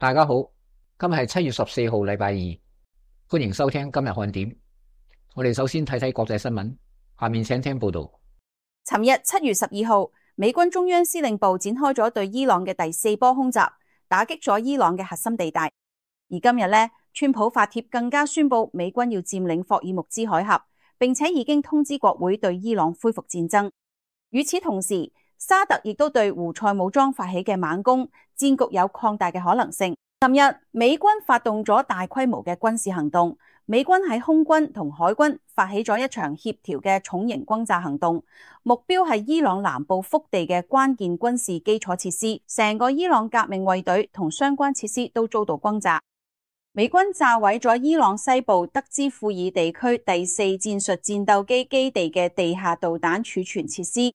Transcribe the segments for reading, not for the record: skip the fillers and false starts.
大家好，今日係7月14號，禮拜二，歡迎收聽今日看點。我哋首先睇睇國際新聞，下面請聽報道。尋日7月12號，美軍中央司令部展開咗對伊朗嘅第4波空襲，打擊咗伊朗嘅核心地帶。而今日呢，川普發帖更加宣布美軍要佔領霍爾木茲海峽，並且已經通知國會對伊朗恢復戰爭。與此同時，沙特亦都對胡塞武裝發起嘅猛攻，戰局有擴大嘅可能性。尋日美軍發動咗大規模嘅軍事行動，美軍喺空軍同海軍發起咗一場協調嘅重型轟炸行動，目標係伊朗南部腹地嘅關鍵軍事基礎設施，成個伊朗革命衛隊同相關設施都遭到轟炸。美軍炸毀咗伊朗西部德茲庫爾地區第4戰術戰鬥機基地嘅地下導彈儲存設施。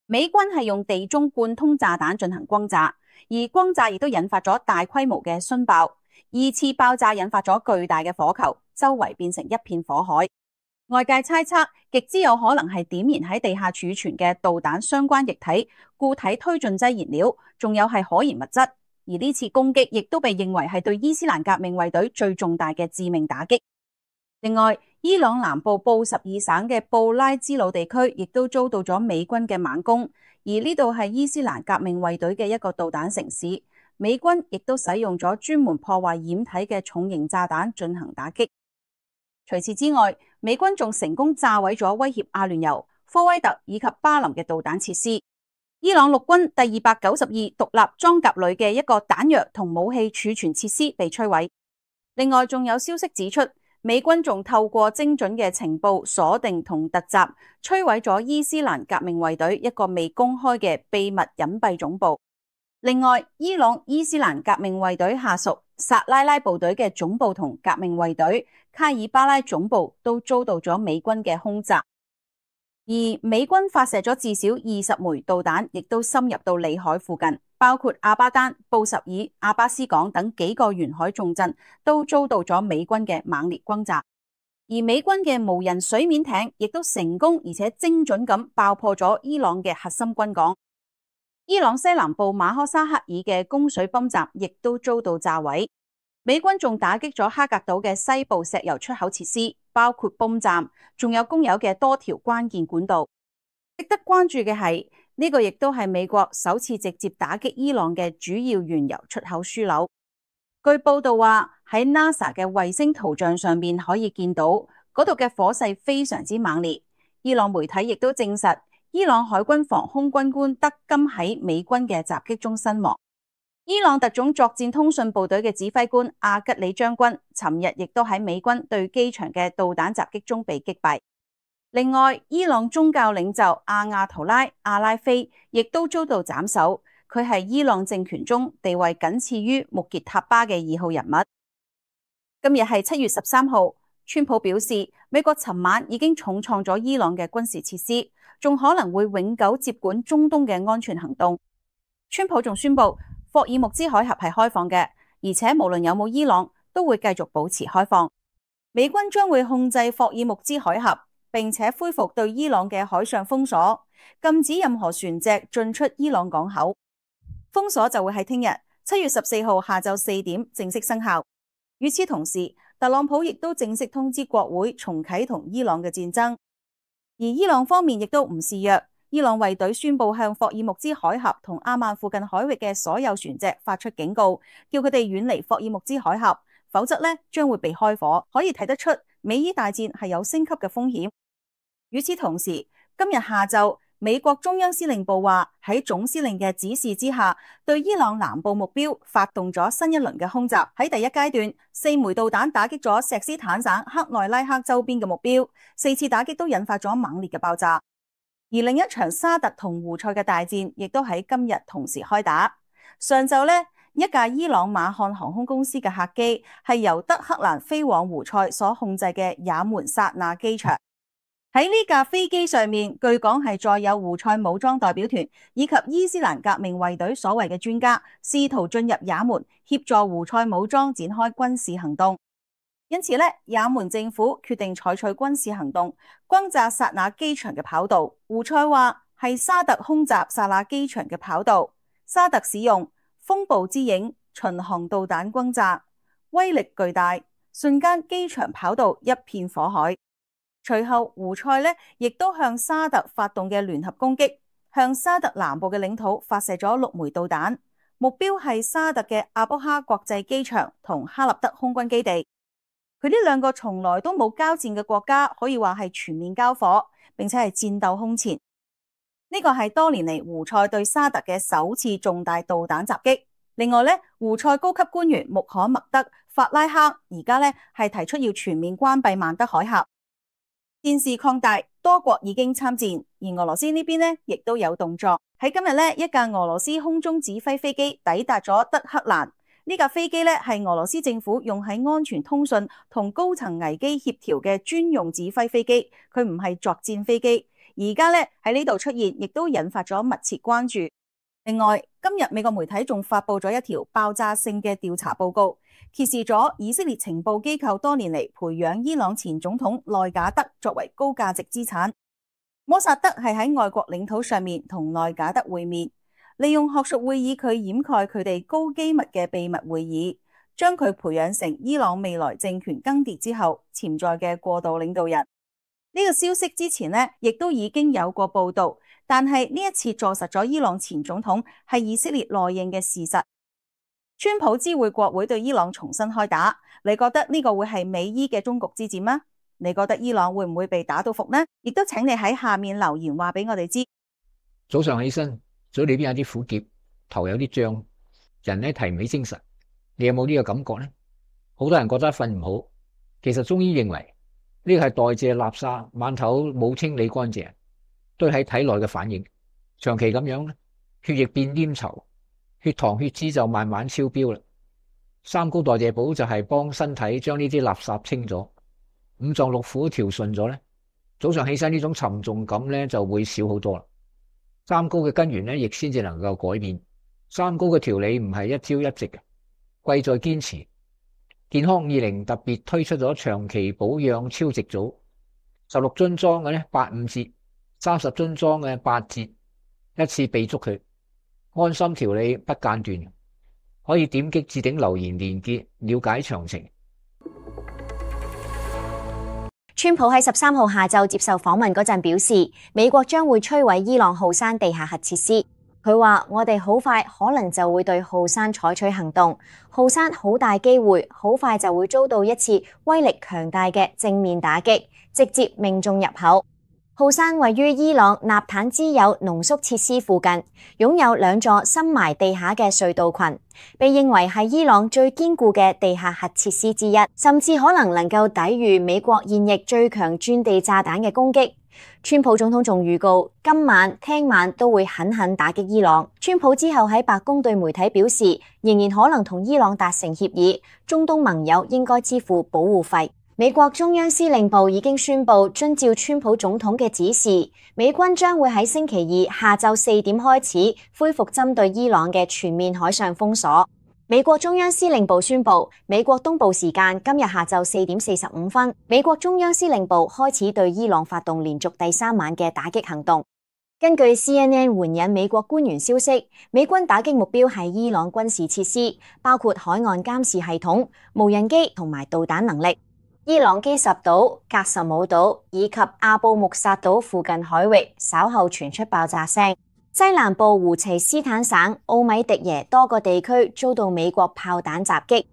美軍係用地中貫通炸彈進行轟炸，而轟炸亦都引發咗大規模嘅殉爆。二次爆炸引發咗巨大嘅火球，周圍變成一片火海。外界猜測，極之有可能係點燃喺地下儲存嘅導彈相關液體、固體推進劑燃料，仲有係可燃物質。而呢次攻擊亦都被認為係對伊斯蘭革命衛隊最重大嘅致命打擊。另外，伊朗南部布什爾省嘅布拉茲魯地區亦都遭到咗美軍嘅猛攻，而呢度係伊斯蘭革命衛隊嘅一個導彈城市，美軍亦都使用咗專門破壞掩體嘅重型炸彈進行打擊。除此之外，美軍仲成功炸毀咗威脅阿聯酋、科威特以及巴林嘅導彈設施。伊朗陸軍第292獨立裝甲旅嘅一個彈藥同武器儲存設施被摧毀。另外，仲有消息指出，美軍仲透過精準嘅情報鎖定同突襲，摧毀咗伊斯蘭革命衛隊一個未公開嘅秘密隱蔽總部。另外，伊朗伊斯蘭革命衛隊下屬薩拉拉部隊嘅總部同革命衛隊卡爾巴拉總部都遭到咗美軍嘅空襲。而美軍發射咗至少20枚導彈，亦都深入到裏海附近，包括阿巴丹、布什爾、阿巴斯港等幾個沿海重鎮都遭到咗美軍嘅猛烈轟炸。而美軍嘅無人水面艇亦都成功而且精準咁爆破咗伊朗嘅核心軍港。伊朗西南部馬科沙克爾嘅供水泵站亦都遭到炸毀。美軍仲打擊咗哈格島嘅西部石油出口設施，包括泵站，仲有供油嘅多條關鍵管道。值得關注嘅係，呢個亦都係美國首次直接打擊伊朗嘅主要原油出口樞紐。據報道話，喺 NASA 嘅衛星圖像上面可以見到嗰度嘅火勢非常之猛烈。伊朗媒體亦都證實，伊朗海軍防空軍官德金喺美軍嘅襲擊中身亡。伊朗特種作戰通訊部隊嘅指揮官阿吉里將軍尋日亦都喺美軍對機場嘅導彈襲擊中被擊敗。另外，伊朗宗教領袖阿亞圖拉·阿拉菲亦都遭到斬首，佢係伊朗政權中地位僅次於穆傑塔巴嘅2號人物。今日係7月13號，川普表示，美國尋晚已經重創咗伊朗嘅軍事設施，仲可能會永久接管中東嘅安全行動。川普仲宣布，霍爾木茲海峽係開放嘅，而且無論有冇伊朗，都會繼續保持開放。美軍將會控制霍爾木茲海峽，並且恢復對伊朗嘅海上封鎖，禁止任何船隻進出伊朗港口。封鎖就會喺聽日7月14號下晝4點正式生效。與此同時，特朗普亦都正式通知國會重啟同伊朗嘅戰爭。而伊朗方面亦都唔示弱。伊朗衛隊宣布向霍爾木茲海峽同阿曼附近海域嘅所有船隻發出警告，叫佢哋遠離霍爾木茲海峽，否則將會被開火。可以睇得出美伊大戰係有升級嘅風險。與此同時，今日下晝，美國中央司令部話喺總司令嘅指示之下，對伊朗南部目標發動咗新一輪嘅空襲。喺第一階段，4枚導彈打擊咗錫斯坦省克內拉克周邊嘅目標，4次打擊都引發咗猛烈嘅爆炸。而另一場沙特同胡塞嘅大戰亦都喺今日同時開打。上晝一架伊朗馬漢航空公司嘅客機係由德黑蘭飛往胡塞所控制嘅也門薩那機場。喺呢架飛機上面，據講係載有胡塞武裝代表團以及伊斯蘭革命衛隊所謂嘅專家，試圖進入也門協助胡塞武裝展開軍事行動。因此也門政府決定採取軍事行動，轟炸薩那機場嘅跑道。胡塞話係沙特空襲薩那機場嘅跑道，沙特使用風暴之影、巡航導彈轟炸，威力巨大，瞬間機場跑道一片火海。隨後胡塞呢亦都向沙特發動嘅聯合攻擊，向沙特南部嘅領土發射咗6枚導彈，目標係沙特嘅阿卜哈國際機場同哈立德空軍基地。佢呢兩個從來都冇交戰嘅國家，可以話係全面交火，並且係戰鬥空前。呢個係多年嚟胡塞對沙特嘅首次重大導彈襲擊。另外呢，胡塞高級官員穆罕默德法拉克而家呢係提出要全面關閉曼德海峽。戰事擴大，多國已經參戰，而俄羅斯呢邊呢亦都有動作。喺今日呢，一架俄羅斯空中指揮飛機抵達咗德黑蘭。呢架飛機呢係俄羅斯政府用喺安全通訊同高層危機協調嘅專用指揮飛機，佢唔係作戰飛機。而家呢喺呢度出現，亦都引發咗密切關注。另外，今日美國媒體仲發佈咗一條爆炸性嘅調查報告，揭示咗以色列情報機構多年嚟培養伊朗前總統內賈德作為高價值資產。摩薩德係喺外國領土上面同內賈德會面，利用學術會議佢掩蓋佢哋高機密嘅秘密會議，將佢培養成伊朗未來政權更迭之後潛在嘅過渡領導人。呢個消息之前呢亦都已經有過報道，但係呢一次坐實咗伊朗前總統係以色列內應嘅事實。川普知會國會對伊朗重新開打，你覺得呢個會係美伊嘅終局之戰嗎？你覺得伊朗會唔會被打到服呢？亦都請你喺下面留言話俾我哋知。早上起身，嘴裏邊有啲苦澀，頭有啲脹，人呢提唔起精神。你有冇呢個感覺呢？好多人覺得瞓唔好，其實中醫認為呢個係代謝垃圾，晚頭冇清理乾淨，堆喺體內嘅反應。長期咁樣咧，血液變黏稠，血糖血脂就慢慢超標啦。三高代謝寶就係幫身體將呢啲垃圾清咗，五臟六腑調順咗咧，早上起身呢種沉重感咧就會少好多啦。三高嘅根源咧，亦先至能夠改變。三高嘅調理唔係一朝一夕嘅，貴在堅持。健康20特別推出咗長期保養超值組，16樽裝嘅咧85折，30樽裝嘅8折，一次備足佢，安心調理不間斷。可以點擊置頂留言連結了解詳情。川普喺13號下晝接受訪問嗰陣表示，美國將會摧毀伊朗浩山地下核設施。佢話：我哋好快可能就會對浩山採取行動，浩山好大機會好快就會遭到一次威力強大嘅正面打擊，直接命中入口。浩山位於伊朗納坦茲鈾濃縮設施附近，擁有2座深埋地下嘅隧道群，被認為係伊朗最堅固嘅地下核設施之一，甚至可能夠抵禦美國現役最強鑽地炸彈嘅攻擊。川普總統仲預告，今晚、聽晚都會狠狠打擊伊朗。川普之後喺白宮對媒體表示，仍然可能同伊朗達成協議，中東盟友應該支付保護費。美國中央司令部已經宣布，遵照川普總統嘅指示，美軍將會喺星期二下晝4點開始恢復針對伊朗嘅全面海上封鎖。美國中央司令部宣布，美國東部時間今日下晝4點45分，美國中央司令部開始對伊朗發動連續第3晚嘅打擊行動。根據 CNN 援引美國官員消息，美軍打擊目標係伊朗軍事設施，包括海岸監視系統、無人機同埋導彈能力。伊朗基什島、格什姆島以及阿布穆薩島附近海域稍後傳出爆炸聲。西南部胡齊斯坦省奧米迪耶多個地區遭到美國炮彈襲擊。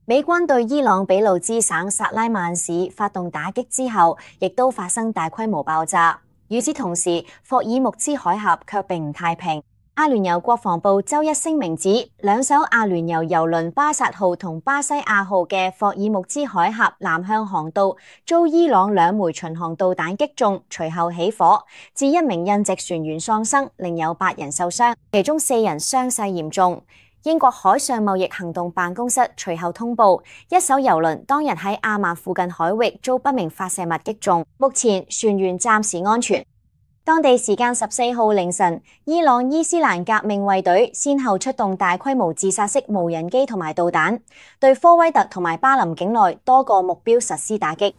美軍對伊朗俾路支省薩拉曼市發動打擊之後，亦都發生大規模爆炸。與此同時，霍爾木茲海峽卻並唔太平。阿聯酋國防部周一聲明指，2艘阿聯酋郵輪巴薩號同巴西亞號嘅霍爾木茲海峽南向航道遭伊朗2枚巡航導彈擊中，隨後起火，致1名印籍船員喪生，另有8人受傷，其中4人傷勢嚴重。英國海上貿易行動辦公室隨後通報，一艘郵輪當日喺阿曼附近海域遭不明發射物擊中，目前船員暫時安全。當地時間14號凌晨，伊朗伊斯蘭革命衛隊先後出動大規模自殺式無人機同埋導彈，對科威特同埋巴林境內多個目標實施打擊。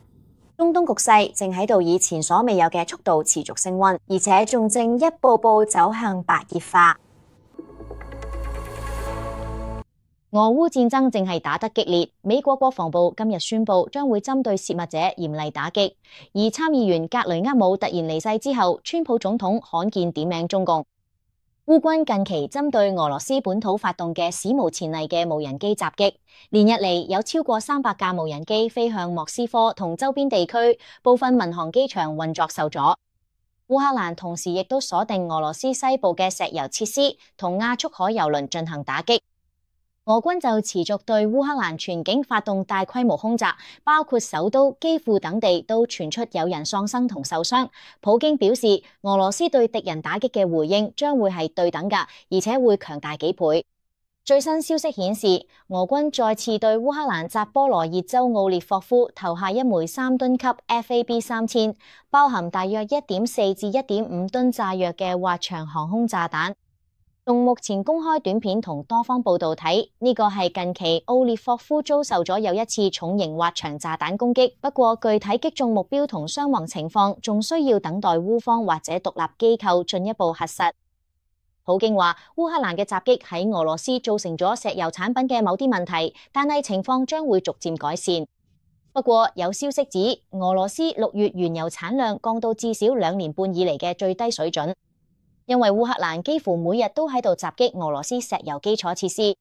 中東局勢正喺度以前所未有嘅速度持續升溫，而且仲正一步步走向白熱化。俄烏戰爭正係打得激烈，美國國防部今日宣布將會針對洩密者嚴厲打擊。而參議員格雷厄姆突然離世之後，川普總統罕見點名中共。烏軍近期針對俄羅斯本土發動嘅史無前例嘅無人機襲擊，連日嚟有超過300架無人機飛向莫斯科同周邊地區，部分民航機場運作受阻。烏克蘭同時亦都鎖定俄羅斯西部嘅石油設施同亞速海油輪進行打擊。俄軍就持續對烏克蘭全境發動大規模空襲，包括首都基輔等地都傳出有人喪生同受傷。普京表示，俄羅斯對敵人打擊嘅回應將會係對等㗎，而且會強大幾倍。最新消息顯示，俄軍再次對烏克蘭扎波羅熱州奧列霍夫投下一枚3噸級 FAB-3000，包含大約1.4至1.5噸炸藥嘅滑翔航空炸彈。從目前公開短片同多方報道睇，呢個係近期奧列霍夫遭受咗又一次重型滑翔炸彈攻擊。不過具體擊中目標同傷亡情況，仲需要等待烏方或者獨立機構進一步核實。普京話，烏克蘭嘅襲擊喺俄羅斯造成咗石油產品嘅某啲問題，但係情況將會逐漸改善。不過有消息指，俄羅斯6月原油產量降到至少2年半以嚟嘅最低水準。因為烏克蘭幾乎每日都喺度襲擊俄羅斯石油基礎設施。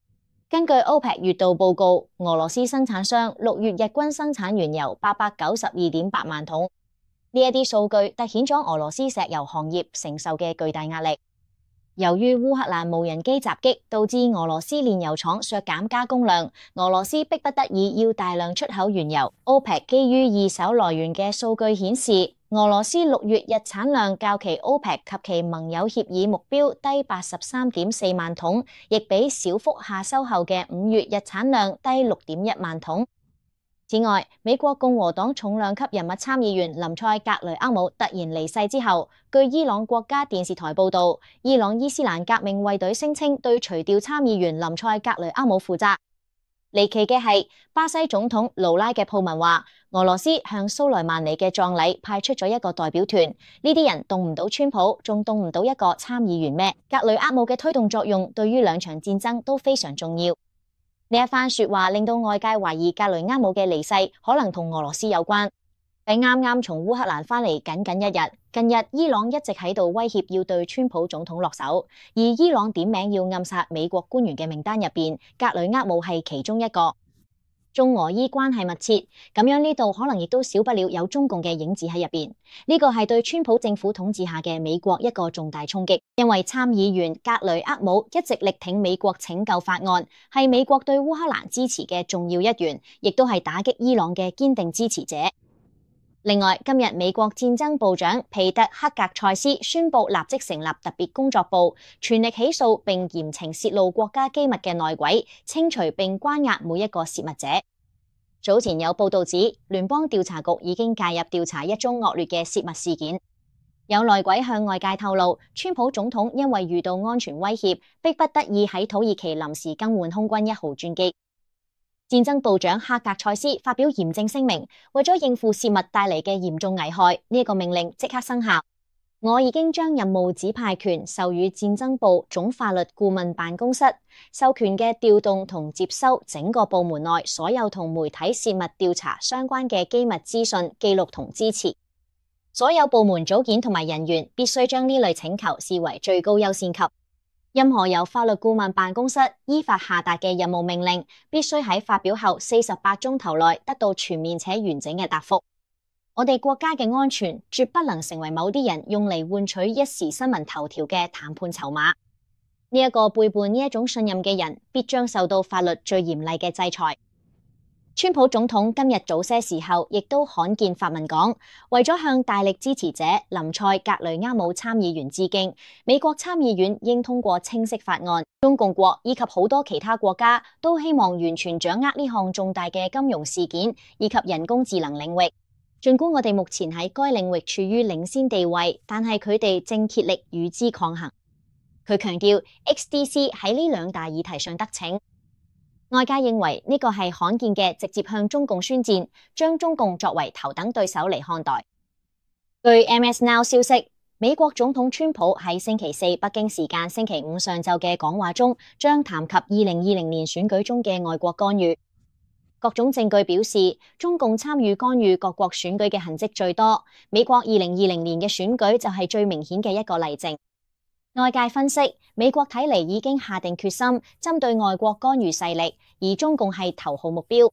根據 OPEC 月度報告，俄羅斯生產商6月日均生產原油892.8萬桶。呢一啲數據凸顯咗俄羅斯石油行業承受嘅巨大壓力。由於烏克蘭無人機襲擊，導致俄羅斯煉油廠削減加工量，俄羅斯迫不得已要大量出口原油。OPEC 基於二手來源嘅數據顯示，俄羅斯6月日產量較其 OPEC 及其盟友協議目標低83.4萬桶，亦比小幅下修後嘅5月日產量低6.1萬桶。此外，美國共和黨重量級人物參議員林賽格雷厄姆突然離世之後，據伊朗國家電視台報道，伊朗伊斯蘭革命衛隊聲稱對除掉參議員林賽格雷厄姆負責。離奇嘅係，巴西總統盧拉嘅鋪文話，俄羅斯向蘇萊曼尼嘅葬禮派出咗一個代表團，呢啲人動唔到川普，仲動唔到一個參議員咩？格雷厄姆嘅推動作用對於兩場戰爭都非常重要。呢一番說話令到外界懷疑格雷厄姆嘅離世可能同俄羅斯有關。喺啱啱從烏克蘭翻嚟僅僅一日，近日伊朗一直喺度威脅要對川普總統落手，而伊朗點名要暗殺美國官員嘅名單入邊，格雷厄姆係其中一個。中俄伊關係密切，咁樣呢度可能亦都少不了有中共嘅影子喺入邊。呢個係對川普政府統治下嘅美國一個重大衝擊，因為參議員格雷厄姆一直力挺美國拯救法案，係美國對烏克蘭支持嘅重要一員，亦都係打擊伊朗嘅堅定支持者。另外，今日美國戰爭部長皮特克格塞斯宣布立即成立特別工作部，全力起訴並嚴懲洩露國家機密嘅內鬼，清除並關押每一個洩密者。早前有報道指，聯邦調查局已經介入調查一宗惡劣嘅洩密事件。有內鬼向外界透露，川普總統因為遇到安全威脅，迫不得已喺土耳其臨時更換空軍1號專機。戰爭部長哈格塞斯發表嚴正聲明，為咗應付洩密帶嚟嘅嚴重危害，呢個命令即刻生效。我已經將任務指派權授予戰爭部總法律顧問辦公室，授權嘅調動同接收整個部門內所有同媒體洩密調查相關嘅機密資訊、記錄同支持。所有部門組件同埋人員必須將呢類請求視為最高優先級。任何由法律顧問辦公室依法下達嘅任務命令，必須喺發表後48鐘頭內得到全面且完整嘅答覆。我哋國家嘅安全絕不能成為某啲人用嚟換取一時新聞頭條嘅談判籌碼。呢一個背叛呢一種信任嘅人，必將受到法律最嚴厲嘅制裁。川普總統今日早些時候亦都罕見發文講，為咗向大力支持者林賽格雷厄姆參議員致敬，美國參議院應通過清晰法案。中共國以及好多其他國家都希望完全掌握呢項重大嘅金融事件以及人工智能領域。儘管我哋目前喺該領域處於領先地位，但係佢哋正竭力與之抗衡。佢強調 XDC 喺呢兩大議題上得逞。外界認為呢個係罕見嘅直接向中共宣戰，將中共作為頭等對手嚟看待。據 MS Now 消息，美國總統川普喺星期四北京時間星期五上晝嘅講話中，將談及2020年選舉中嘅外國干預。各種證據表示，中共參與干預各國選舉嘅痕跡最多。美國2020年嘅選舉就係最明顯嘅一個例證。外界分析，美國睇嚟已經下定決心針對外國干預勢力，而中共係頭號目標。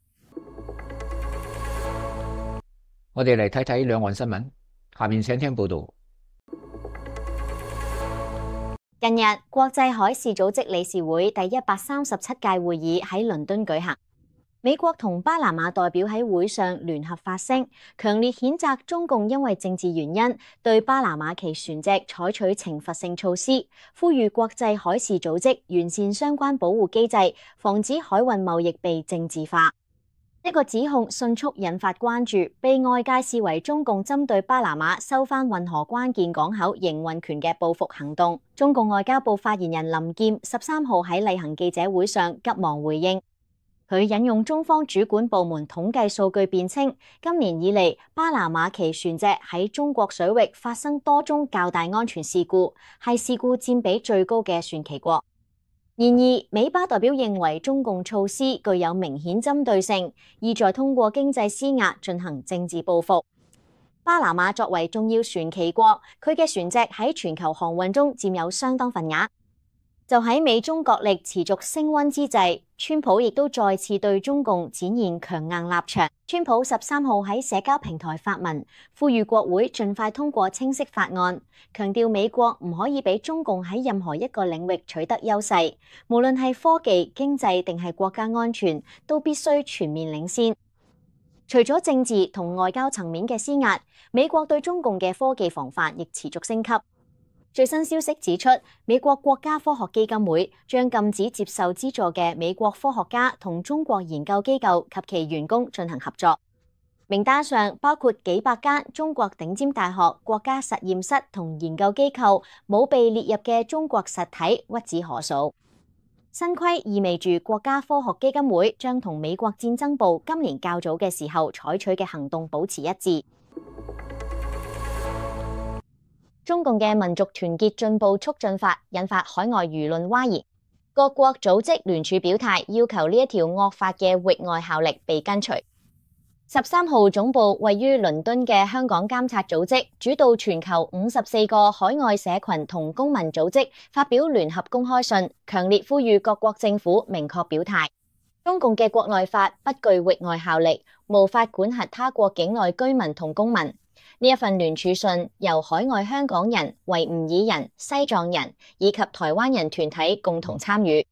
我哋嚟睇睇兩岸新聞，下面請聽報道。近日，國際海事組織理事會第137屆會議喺倫敦舉行。美國同巴拿馬代表喺會上聯合發聲，強烈譴責中共因為政治原因對巴拿馬其船隻採取懲罰性措施，呼籲國際海事組織完善相關保護機制，防止海運貿易被政治化。呢個指控迅速引發關注，被外界視為中共針對巴拿馬收返運河關鍵港口營運權嘅報復行動。中共外交部發言人林劍13號喺例行記者會上急忙回應。佢引用中方主管部門統計數據辯稱，今年以嚟，巴拿馬旗船隻喺中國水域發生多宗較大安全事故，係事故佔比最高嘅船旗國。然而，美巴代表認為中共措施具有明顯針對性，意在通過經濟施壓進行政治報復。巴拿馬作為重要船旗國，佢嘅船隻喺全球航運中佔有相當份額。就喺美中角力持續升溫之際，川普亦都再次對中共展現強硬立場。川普13號喺社交平台發文，呼籲國會盡快通過清晰法案，強調美國唔可以俾中共喺任何一個領域取得優勢，無論係科技、經濟定係國家安全，都必須全面領先。除咗政治同外交層面嘅施壓，美國對中共嘅科技防範亦持續升級。最新消息指出，美國國家科學基金會將禁止接受資助嘅美國科學家同中國研究機構及其員工進行合作。名單上包括幾百間中國頂尖大學、國家實驗室同研究機構，冇被列入嘅中國實體屈指可數。新規意味住國家科學基金會將同美國戰爭部今年較早嘅時候採取嘅行動保持一致。中共嘅民族團結進步促進法引發海外輿論譁然，各國組織聯署表態，要求呢一條惡法嘅域外效力被根除。13號總部位於倫敦嘅香港監察組織主導全球54個海外社群同公民組織發表聯合公開信，強烈呼籲各國政府明確表態，中共嘅國內法不具域外效力，無法管轄他國境內居民同公民。呢一份聯署信由海外香港人、維吾爾人、西藏人以及台灣人團體共同參與。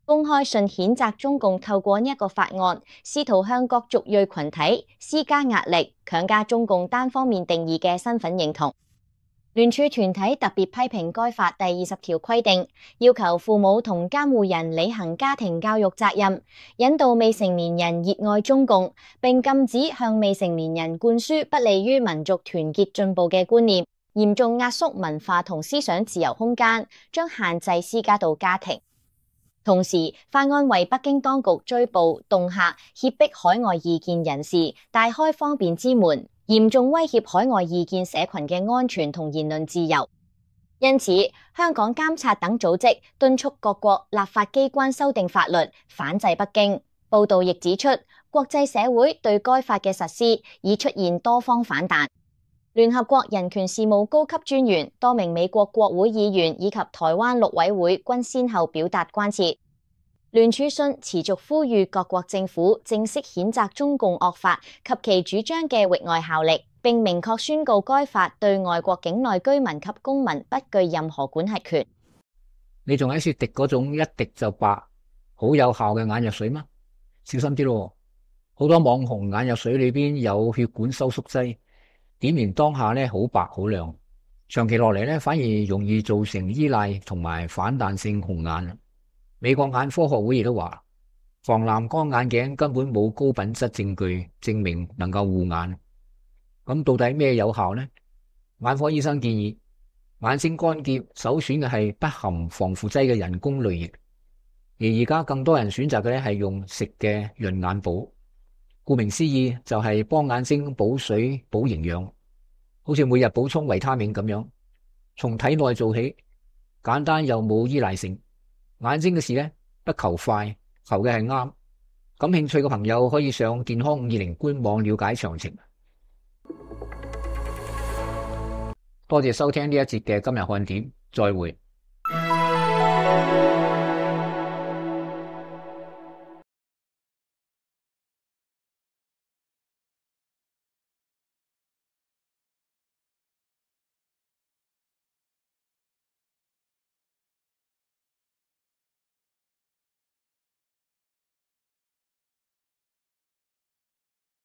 公開信譴責中共透過呢一個法案，試圖向各族裔群體施加壓力，強加中共單方面定義嘅身份認同。聯署團體特別批評該法第20條規定，要求父母同監護人履行家庭教育責任，引導未成年人熱愛中共，並禁止向未成年人灌輸不利於民族團結進步嘅觀念，嚴重壓縮文化同思想自由空間，將限制施加到家庭。同時，法案為北京當局追捕、恫嚇、脅迫海外異見人士，大開方便之門，嚴重威脅海外異見社群嘅安全同言論自由。因此，香港監察等組織敦促各國立法機關修訂法律，反制北京。報道亦指出，國際社會對該法嘅實施已出現多方反彈。聯合國人權事務高級專員、多名美國國會議員以及台灣陸委會均先後表達關切。聯署信持續呼籲各國政府正式譴責中共惡法及其主張嘅域外效力，並明確宣告該法對外國境內居民及公民不具任何管轄權。你仲喺說滴嗰種一滴就白、好有效嘅眼藥水嗎？小心啲咯，好多網紅眼藥水裏邊有血管收縮劑，點完當下咧好白好亮，長期落嚟咧反而容易造成依賴同埋反彈性紅眼。美國眼科學會亦都話，防藍光眼鏡根本冇高品質證據證明能夠護眼。咁到底咩有效呢？眼科醫生建議，眼睛乾澀首選嘅係不含防腐劑嘅人工淚液，而而家更多人選擇嘅咧係用食嘅潤眼寶。顧名思義就係幫眼睛補水補營養，好似每日補充維他命咁樣。從體內做起，簡單又冇依賴性。眼睛嘅事呢，不求快，求嘅係啱。感興趣嘅朋友可以上健康520官網了解詳情。多謝收聽呢一節嘅今日看點，再會。